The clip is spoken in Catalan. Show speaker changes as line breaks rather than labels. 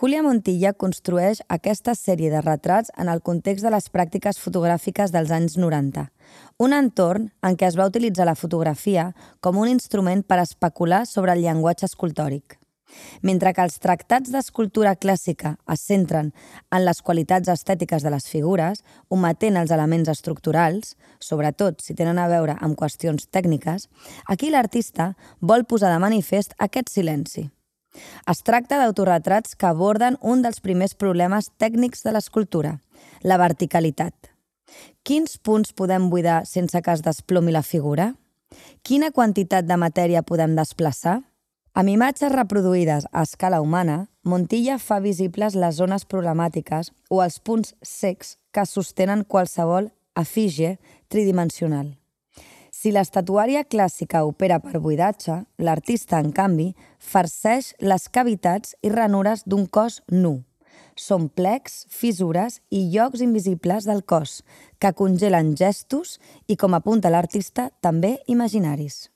Júlia Montilla construeix aquesta sèrie de retrats en el context de les pràctiques fotogràfiques dels anys 90, un entorn en què es va utilitzar la fotografia com un instrument per especular sobre el llenguatge escultòric. Mentre que els tractats d'escultura clàssica es centren en les qualitats estètiques de les figures, ometent els elements estructurals, sobretot si tenen a veure amb qüestions tècniques, aquí l'artista vol posar de manifest aquest silenci. Es tracta d'autorretrats que aborden un dels primers problemes tècnics de l'escultura, la verticalitat. Quins punts podem buidar sense que es desplomi la figura? Quina quantitat de matèria podem desplaçar? Amb imatges reproduïdes a escala humana, Montilla fa visibles les zones problemàtiques o els punts cecs que sostenen qualsevol efígie tridimensional. Si l'estatuària clàssica opera per buidatge, l'artista, en canvi, farceix les cavitats i ranures d'un cos nu. Són plecs, fissures i llocs invisibles del cos, que congelen gestos i, com apunta l'artista, també imaginaris.